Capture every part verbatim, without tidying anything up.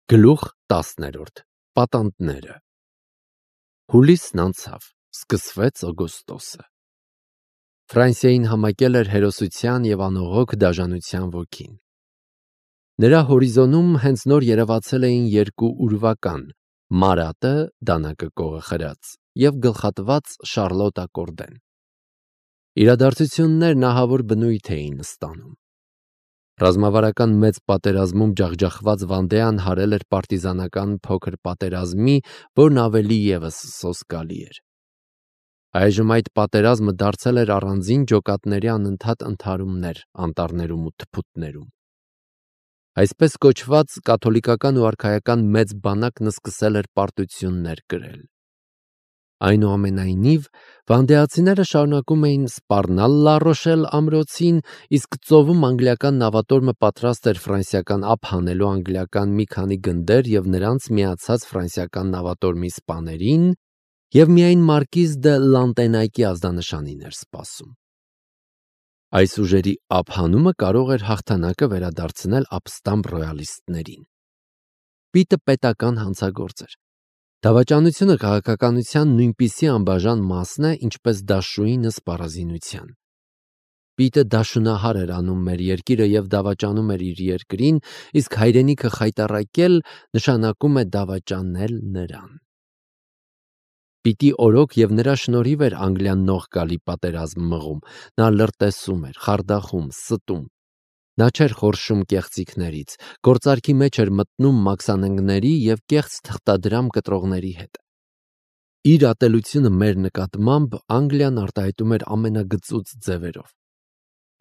Գլուխ տասներորդ. Պատանդները։ Հուլիսն անցավ, սկսվեց օգոստոսը։ Ֆրանսիային համակել էր հերոսության և անողոք դաժանության ոգին։ Նրա հորիզոնում հենց նոր երևացել էին երկու ուրվական՝ Մարատը, դանակը կողը խրած, և գլխատված Շարլոտա Կորդեն։ Իրադարձություններն ահավոր բնույթ էին ստանում։ Ռազմավարական մեծ պատերազմում ջախջախված Վանդեան հարել էր պարտիզանական փոքր պատերազմի, որն ավելի ևս սոսկալի էր։ Այժմ այդ պատերազմը դարձել էր առանձին ջոկատների անընդհատ ընդհարումներ անտառներում ու թփուտներում։ Այսպես կոչված կաթոլիկական ու արքայական մեծ բանակն սկսել էր պարտություններ կրել։ Այնուամենայնիվ, վանդեացիները շարունակում էին սպառնալ Լա Ռոշել ամրոցին, իսկ ծովում անգլիական նավատորմը պատրաստ էր ֆրանսիական ափ հանելու անգլիական մի քանի գնդեր և նրանց միացած ֆրանսիական նավատորմի սպաներին, և միայն Մարկիզ դը Լանտենայկի ազդանշանին էր սպասում։ Այս ուժերի ափ հանումը կարող էր հաղթանակը վերադարձնել ապստամբ ռոյալիստներին։ Պիտը պետական հանցագործ էր։ Դավաճանությունը քաղաքականության նույնպիսի անբաժան մասն է, ինչպես դաշույնը սպառազինության։ Պիտը դաշունահար էր անում մեր երկիրը և դավաճանում էր իր երկրին, իսկ հայրենիքը խայտառակել նշանակում է դավաճանել նրան։ Պիտի օրոք և նրա շնորհիվ էր Անգլիան նող գալի պատերազմ մղում, նա լրտեսում էր, խարդախում, ստում։ Նա չէր խորշում կեղծիքներից, գործարքի մեջ էր մտնում մաքսանենգների և կեղծ թղթադրամ կտրողների հետ։ Իր ատելությունը մեր նկատմամբ Անգլիան արտահայտում էր ամենագծուծ ձևերով։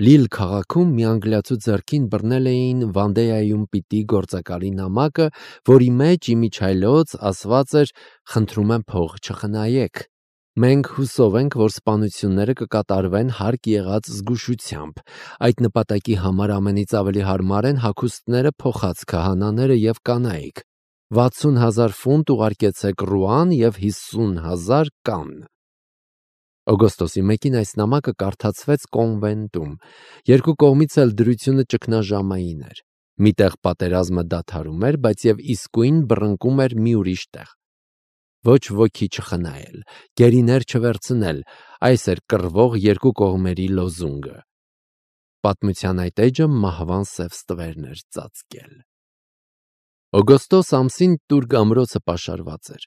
Լիլ քաղաքում մի անգլիացու ձեռքին բռնել էին Վանդեայում պիտի գործակալի նամակը, որի մեջ իմիջիայլոց ասված էր. «Խնդրում եմ փող չխնայեք։ Մենք հուսով ենք, որ սպանությունները կկատարվեն հարկ եղած զգուշությամբ։ Այդ նպատակի համար ամենից ավելի հարմար են հագուստները փոխած քահանաները և կանայք։ վաթսուն հազար ֆունտ ուղարկեցեք Ռուան և հիսուն հազար Կանն»։ Օգոստոսի մեկին այս նամակը կարդացվեց կոնվենտում։ Երկու կողմից էլ դրությունը ճգնաժամային էր։ Մի տեղ պատերազմը դադարում էր, բայց և իսկույն բռնկում էր մի ուրիշ տեղ։ Ոչ ոքի չխնայել, գերիներ չվերցնել, այս էր կռվող երկու կողմերի լոզունգը։ Պատմության այդ էջը մահվան սև ստվերն էր ծածկել։ Օգոստոս ամսին Տուրգ ամրոցը պաշարված էր։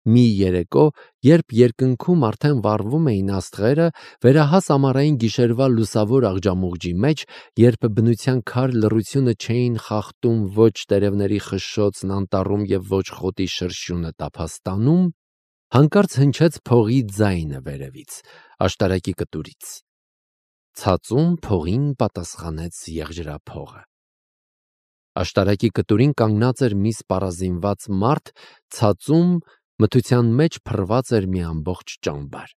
Մի երեկո, երբ երկնքում արդեն վառվում էին աստղերը, վերահաս ամառային գիշերվա լուսավոր աղջամուղջի մեջ, երբ բնության քար լռությունը չէին խախտում ոչ տերևների խշշոցն անտառում և ոչ խոտի շրշյունը տափաստանում, հանկարծ հնչեց փողի ձայնը վերևից, աշտարակի կտուրից։ Ցածում փողին պատասխանեց եղջրափողը։ Աշտարակի կտուրին կանգնած էր մի սպառազինված մարդ, ցածում մթության մեջ փռված էր մի ամբողջ ճամբար։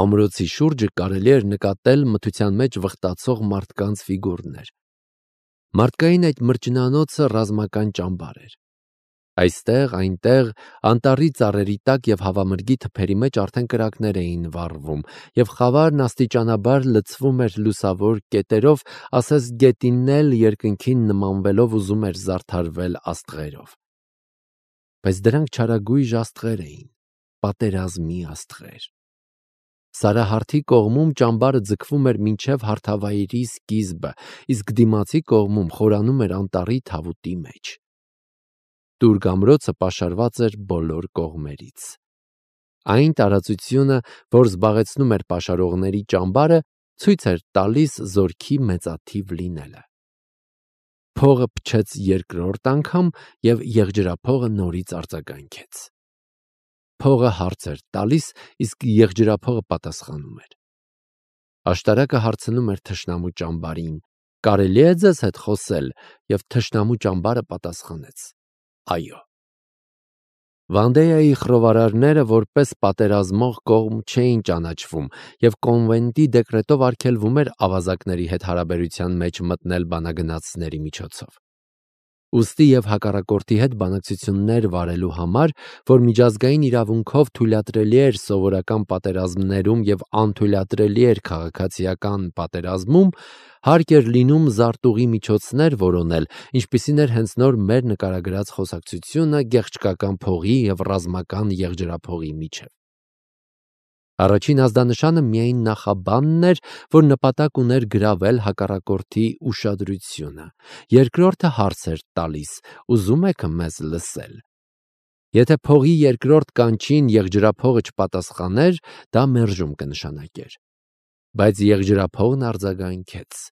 Ամրոցի շուրջը կարելի էր նկատել մթության մեջ վխտացող մարդկանց ֆիգուրներ։ Մարդկային այդ մրջնանոցը ռազմական ճամբար էր։ Այստեղ, այնտեղ, անտառի ծառերի տակ և հավամրգի թփերի մեջ արդեն կրակներ էին վառվում, և խավարն աստիճանաբար լցվում էր լուսավոր կետերով, ասես գետինն էլ երկնքին նմանվելով ուզում էր զարդարվել աստղերով։ Բայց դրանք չարագույժ աստղեր էին, պատերազմի աստղեր։ Սարահարթի կողմում ճամբարը ձգվում էր մինչև հարթավայրի սկիզբը, իսկ դիմացի կողմում խորանում էր անտառի թավուտի մեջ։ Տուրգ ամրոցը պաշարված էր բոլոր կողմերից։ Այն տարածությունը, որ զբաղեցնում էր պաշարողների ճամբարը, ցույց էր տալիս զորքի մեծաթիվ լինելը։ Փողը փչեց երկրորդ անգամ, և եղջրափողը նորից արձագանքեց։ Փողը հարց էր տալիս, իսկ եղջրափողը պատասխանում էր։ Աշտարակը հարցնում էր թշնամու ճամբարին. «Կարելի է ձեզ հետ խոսել»։ Եվ թշնամու ճամբարը պատասխանեց. «Այո»։ Վանդեայի խռովարարները որպես պատերազմող կողմ չէին ճանաչվում, և կոնվենտի դեկրետով արգելվում էր ավազակների հետ հարաբերության մեջ մտնել բանագնացների միջոցով։ ուստի եւ հակառակորդի հետ բանակցություններ վարելու համար, որ միջազգային իրավունքով թույլատրելի էր սովորական պատերազմներում եւ անթույլատրելի էր քաղաքացիական պատերազմում, հարկ էր լինում զարտուղի միջոցներ որոնել, ինչպիսին էր հենց նոր մեր նկարագրած խոսակցությունը գեղչկական փողի եւ ռազմական եղջերափողի միջև։ Առաջին ազդանշանը միայն նախաբանն էր, որ նպատակ ուներ գրավել հակառակորդի ուշադրությունը։ Երկրորդը հարց էր տալիս. ուզում եք մեզ լսել։ Եթե փողի երկրորդ կանչին եղջերափողը չպատասխաներ, դա մերժում կնշանակեր։ Բայց եղջերափողն արձագանքեց։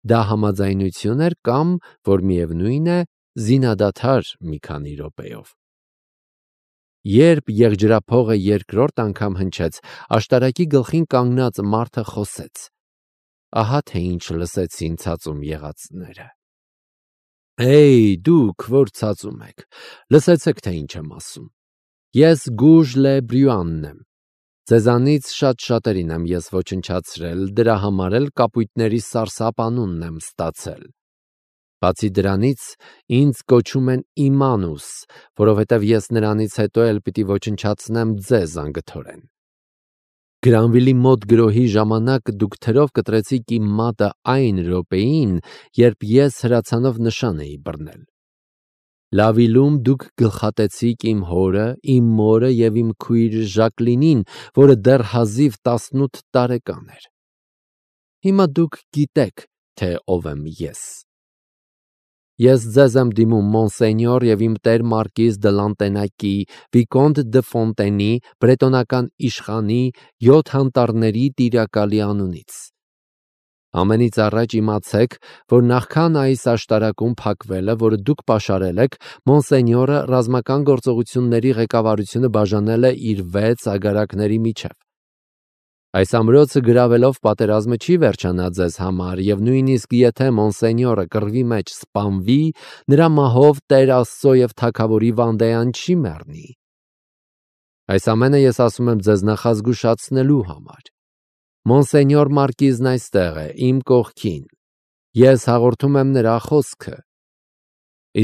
Դա համաձայնություն էր կամ, որ միևնույն է, զինադադար մի քանի րոպեով։ Երբ եղջերափողը երկրորդ անգամ հնչեց, աշտարակի գլխին կանգնած մարդը խոսեց. Ահա թե ինչ լսեցին ցածում եղածները։ Էй, դուք, որ ցածում եք, լսեցեք թե ինչ եմ ասում։ Ես Գուժ Լե Բրյուանն եմ։ Ձեզանից շատ շատերին եմ ես ոչնչացրել, դրա համար էլ կապույտների սարսափ անունն եմ ստացել։ Բացի դրանից, ինձ կոչում են Իմանուս, որովհետև ես նրանից հետո էլ պիտի ոչնչացնեմ ձեզ անգթորեն։ Գրանվիլի մոտ գրոհի ժամանակ դուք թրով կտրեցիք իմ մատը այն րոպեին, երբ ես հրացանով նշան էի բռնել։ Լավիլում դուք գլխատեցիք իմ հորը, իմ մորը եւ իմ քույր Ժակլինին, որը դեռ հազիվ տասնութ տարեկան էր։ Հիմա դուք գիտեք, թե ով եմ ես։ Ես ձեզ եմ դիմում Մոնսենյոր եւ իմ տեր Մարկիզ դը Լանտենակի, Վիկոնտ դը Ֆոնտենի, բրետոնական իշխանի, յոթ հանտառների տիրակալի անունից։ Ամենից առաջ իմացեք, որ նախքան այս աշտարակում փակվելը, որը դուք պաշարել եք, Մոնսենյորը ռազմական գործողությունների ղեկավարությունը բաժանել է իր վեց ագարակների միջև։ Այս ամրոցը գրավելով պատերազմը չի վերջանա ձեզ համար, եւ նույնիսկ եթե Մոնսենյորը կռվի մեջ սպանվի, նրա մահով Տեր Աստծո եւ Թագավորի Վանդեան չի մեռնի։ Այս ամենը ես ասում եմ ձեզ նախազգուշացնելու համար։ Մոնսենյոր Մարկիզն այստեղ է, իմ կողքին։ Ես հաղորդում եմ նրա խոսքը։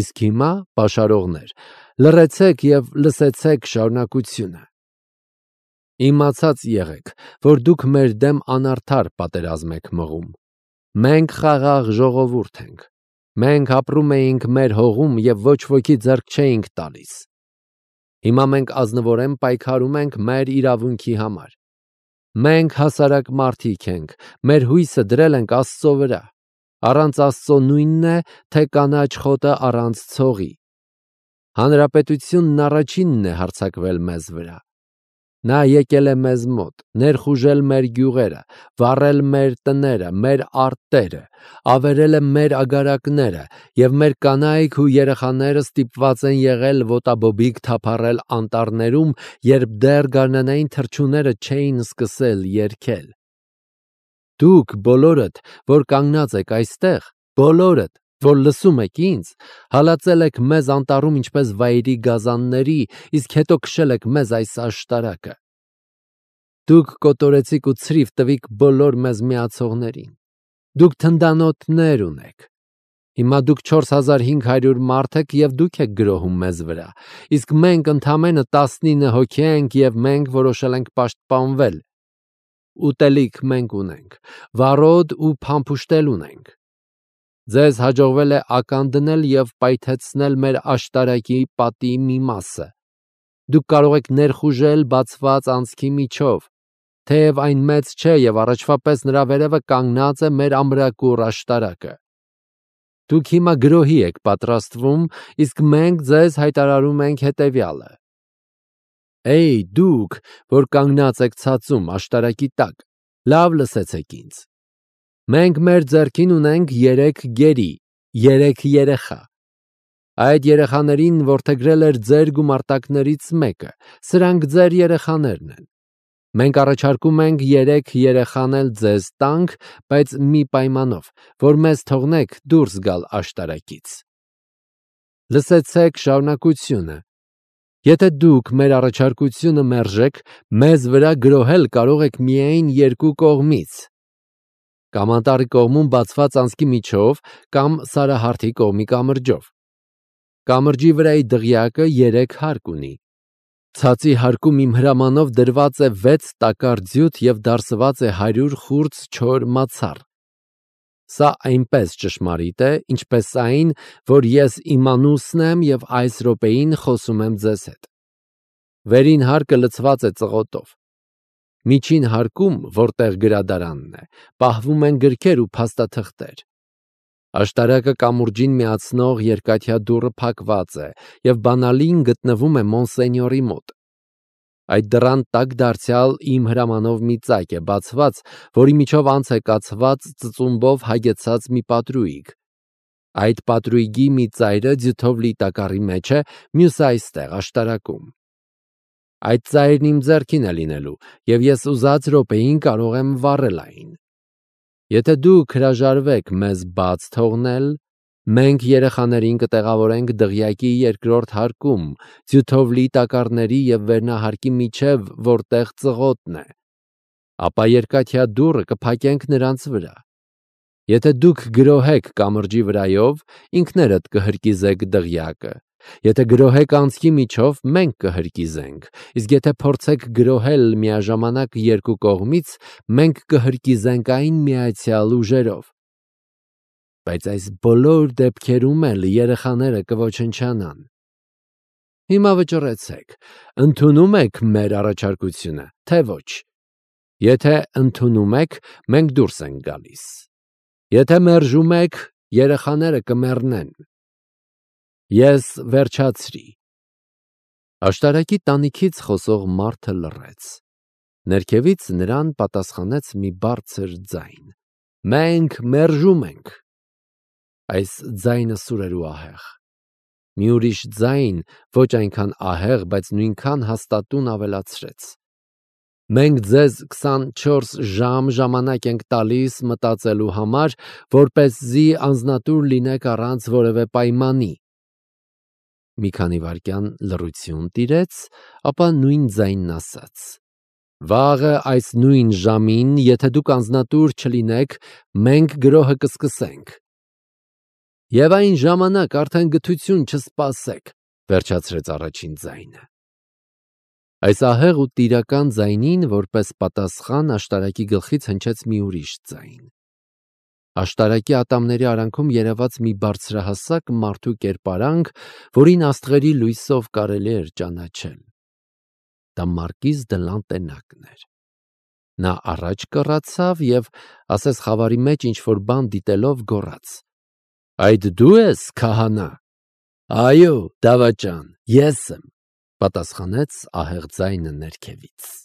Իսկ հիմա, պաշարողներ, լռեցեք եւ լսեցեք շարունակությունը։ Իմացած եղեք, որ դուք մեր դեմ անարդար պատերազմ եք մղում։ Մենք խաղաղ ժողովուրդ ենք։ Մենք ապրում էինք մեր հողում եւ ոչ ոքի ձեռք չէինք տալիս։ Հիմա մենք ազնվորեն պայքարում ենք մեր իրավունքի համար։ Մենք հասարակ մարդիկ ենք, մեր հույսը դրել ենք Աստծո վրա։ Առանց Աստծո նույնն է, թե կանաչ խոտը առանց ցողի։ Հանրապետությունն առաջինն է հարձակվել մեզ վրա։ Նա եկել է մեզ մոտ, ներխուժել մեր գյուղերը, վառել մեր տները, մեր արտերը, ավերել է մեր ագարակները, եւ մեր կանայք ու երեխաները ստիպված են եղել ոտաբոբիկ թափառել անտառներում, երբ դեռ գարնանային թռչունները չէին սկսել երգել։ Դուք բոլորդ, որ կանգնած եք այստեղ, բոլորդ, որ լսում եք ինձ, հալածել եք մեզ անտառում ինչպես վայրի գազանների, իսկ հետո քշել եք մեզ այս աշտարակը։ Դուք կոտորեցիք ու ցրիվ տվիք բոլոր մեզ միացողներին։ Դուք թնդանոթներ ունեք։ Հիմա դուք չորս հազար հինգ հարյուր մարդ եք եւ դուք եք գրոհում մեզ վրա, իսկ մենք ընդամենը տասնինը հոգի ենք եւ մենք որոշել ենք պաշտպանվել։ Ուտելիք մենք ունենք, վարոդ ու փամփուշտել ունենք։ Ձեզ հաջողվել է ական դնել եւ պայթեցնել մեր աշտարակի պատի մի մասը։ Դուք կարող եք ներխուժել բացված անցքի միջով, թեև այն մեծ չէ եւ առաջվա պես նրա վերևը կանգնած է մեր ամրակուռ աշտարակը։ Դուք հիմա գրոհի եք պատրաստվում, իսկ մենք ձեզ հայտարարում ենք հետեւյալը. Էй, դուք, որ կանգնած եք ցածում աշտարակի տակ, լավ լսեցեք ինձ։ Մենք մեր ձեռքին ունենք երեք գերի, երեք երեխա։ Այդ երեխաներին որդեգրել էր ձեր գումարտակներից մեկը, սրանք ձեր երեխաներն են։ Մենք առաջարկում ենք երեք երեխան էլ ձեզ տանք, բայց մի պայմանով, որ մեզ թողնեք դուրս գալ աշտարակից։ Լսեցեք շարունակությունը։ Եթե դուք մեր առաջարկությունը մերժեք, մեզ վրա գրոհել կարող եք միայն երկու կողմից։ Կամ անտառի կողմում բացված անցքի միջով, կամ Սարահարթի կողմի կամրջով։ Կամրջի վրայի դղյակը երեք հարկ ունի։ Ցածի հարկում իմ հրամանով դրված է վեց տակար ձյութ և դարսված է հարյուր խուրձ չոր մացառ։ Սա այնպես ճշմարիտ է, ինչպես այն, որ ես իմանուսն եմ և այս րոպեին խոսում եմ ձեզ հետ։ Վերին հարկը լցված է ծղոտով։ Միջին հարկում, որտեղ գրադարանն է, պահվում են գրքեր ու փաստաթղթեր։ Աշտարակը կամուրջին միացնող երկաթյա դուռը փակված է և բանալին գտնվում է Մոնսենյորի մոտ։ Այդ դռան տակ դարձյալ իմ հրամանով մի ծակ է բացված, որի միջով անց է կացված ծծումբով հագեցած մի պատրույգ։ Այդ պատրույգի մի ծայրը ձյութով լի տակառի մեջ է, մյուսը այստեղ աշտարակում։ Այդ ծայրն իմ ձեռքին է լինելու, և ես ուզած րոպեին կարող եմ վառել այն։ Եթե դուք հրաժարվեք մեզ բաց թողնել, մենք երեխաներին կտեղավորենք դղյակի երկրորդ հարկում, ձյութով լի տակառների և վերնահարկի միջև, որտեղ ծղոտն է, ապա երկաթյա դուռը կփակենք նրանց վրա։ Եթե դուք գրոհեք կամրջի վրայով, ինքներդ կհրկիզեք դղյակը, եթե գրոհեք անցքի միջով, մենք կհրկիզենք, իսկ եթե փորձեք գրոհել միաժամանակ երկու կողմից, մենք կհրկիզենք այն միացյալ ուժերով։ Բայց այս բոլոր դեպքերում էլ երեխաները կոչնչանան։ Հիմա վճռեցեք, ընդունում եք մեր առաջարկությունը, թե ոչ։ Եթե ընդունում եք, մենք դուրս ենք գալիս։ Եթե մերժում եք, երեխաները կմեռնեն։ Ես վերջացրի։ Աշտարակի տանիքից խոսող մարդը լռեց։ Ներքևից նրան պատասխանեց մի բարձր ձայն. Մենք մերժում ենք։ Այս ձայնը սուր էր ու ահեղ։ Մի ուրիշ ձայն, ոչ այնքան ահեղ, բայց նույնքան հաստատուն ավելացրեց. Մենք ձեզ քսանչորս ժամ ժամանակ ենք տալիս մտածելու համար, որպեսզի անձնատուր լինեք առանց որևէ պայմանի։ Մի քանի վայրկյան լռություն տիրեց, ապա նույն ձայնն ասաց. Վաղը այս նույն ժամին, եթե դուք անձնատուր չլինեք, մենք գրոհը կսկսենք։ Եվ այն ժամանակ արդեն գթություն չսպասեք, վերջացրեց առաջին ձայնը։ Այս ահեղ ու տիրական ձայնին, որպես պատասխան, աշտարակի գլխից հնչեց մի ուրիշ ձայն։ Աշտարակի ատամների արանքում երևաց մի բարձրահասակ մարդու կերպարանք, որին աստղերի լույսով կարելի էր ճանաչել։ Դա Մարկիզ դը Լանտենակն էր։ Նա առաջ կռացավ և, ասես խավարի մեջ ինչ-որ բան դիտելով, գոռաց. Այդ դու ես, քահանա։ Այո, դավաճան, ես եմ, պատասխանեց ահեղ ձայնը ներքևից։